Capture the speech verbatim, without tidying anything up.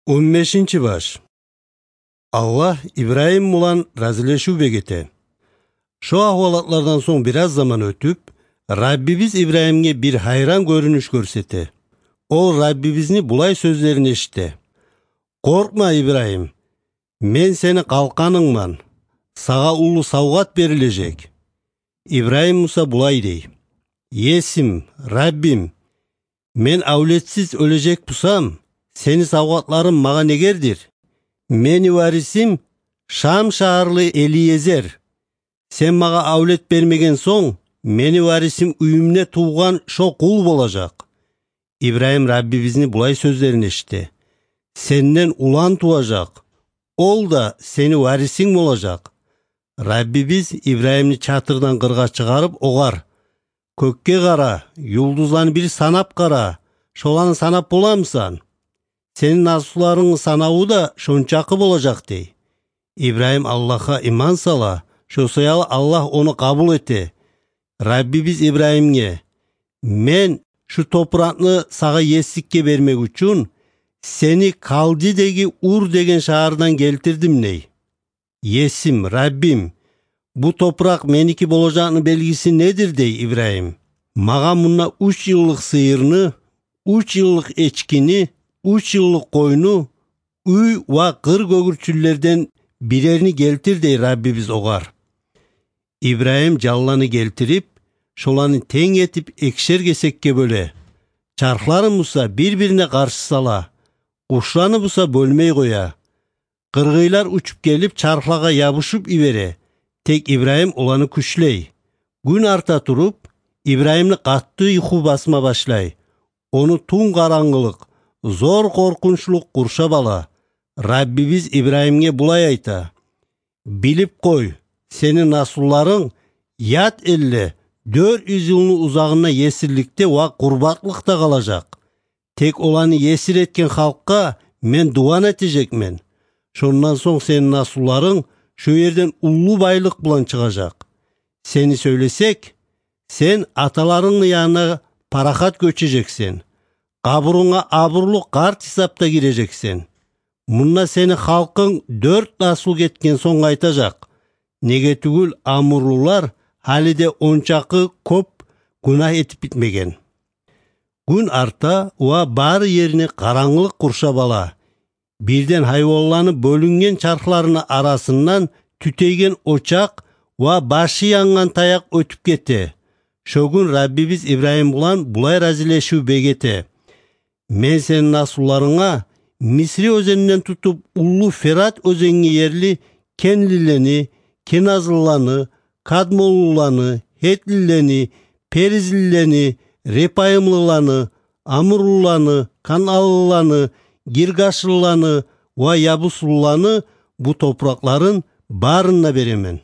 Он бешинчи баш. Аллагь Ибрагьим булан разилешив бегете. Шо агьвалатлардан сонг бираз заман оьтюп, Раббибиз Ибрагьимге бир гьайран гёрюнюш гёрсете. Ол Раббибизни булай сёзлерин эшите: «Къоркъма, Ибрагьим, мен сени къалкъанынгман, сагъа уллу савгъат берилежек». Ибрагьим буса булай дей: «Есим, Раббим, мен авлетсиз оьлежек бусам, сени савгъатларынг магъа негердир? Мени варисим Шам шагьарлы Элиезер. Сен магъа авлет бермеген сонг, мени варисим уьюмде тувгъан шо къул болажакъ». Ибрагьим Раббибизни булай сёзлерин эшите: «Сенден улан туважакъ, ол да сени варисинг болажакъ». Раббибиз Ибрагьимни чатырдан къыргъа чыгъарып, огъар: «Кёкге къара, юлдузланы бир санап къара, шоланы санап боламысан? Сени наслуларынгны санаву да шончакъы болажакъ», – дей. Ибрагьим Аллагьгъа иман сала, шо саялы Аллагь ону къабул эте. Раббибиз Ибрагьимге: «Мен шу топуракъны сагъа есликге бермек учун сени Калдидеги Ур деген шагьардан гелтирдим», – дей. «Есим, Раббим, бу топуракъ меники болажакъны белгиси недир?» – дей Ибрагьим. «Магъа мунда уьч йыллыкъ сыйырны, уьч йыллыкъ эчкини, уьч йыллыкъ къойну, уьй ва къыр гёгюрчюнлерден бирерни гелтир», – дей Раббибиз огъар. Ибрагьим жанланы гелтирип, шоланы тенг этип экишер гесекге бёле. Чархларын буса бир-бирине къаршы сала, къушланы буса бёлмей къоя. Къыргъыйлар учуп гелип, чархлагъа ябушуп йибере, тек Ибрагьим оланы кючлей. Гюн арта туруп, Ибрагьимни къатты юху басма башлай. Ону тюн къарангылыкъ, зор къоркъунчлукъ къуршап ала. Раббибиз Ибрагьимге булай айта: «Билип къой, сени наслуларынг ят элде дёрт юз йылны узагъында есирликде ва къурбакълыкъда къалажакъ. Тек оланы есир этген халкъгъа мен дуван этежекмен. Шондан сонг сени наслуларынг шо ерден уллу байлыкъ булан чыгъажакъ. Сени сёйлесек, сен аталарынгны янына парахат гёчежексен. Къабурунга абурлу къарт гьисапда гирежексен. Мунда сени халкъынг дёрт наслу гетген сонг къайтажакъ. Неге тюгюл, амурлулар гьали де ончакъы кёп гюнагь этип битмеген». Гюн арта ва бары ерни къарангылыкъ къуршап ала. Бирден гьайванланы бёлюнген чархларыны арасындан тютейген очакъ ва башы янгъан таякъ оьтюп гете. Шо гюн Раббибиз Ибрагьим булан булай разилешив бегете: «Мен сени наслуларынга Мисри оьзенинден тутуп, уллу Ферат оьзенге ерли кенлилени, кеназлыланы, кадмонлуланы, гьетлилени, перизлилени, репайымлыланы, амурлуланы, каналлыланы, гиргашлыланы ва ябуслуланы, бу топуракъларын барын да беремен.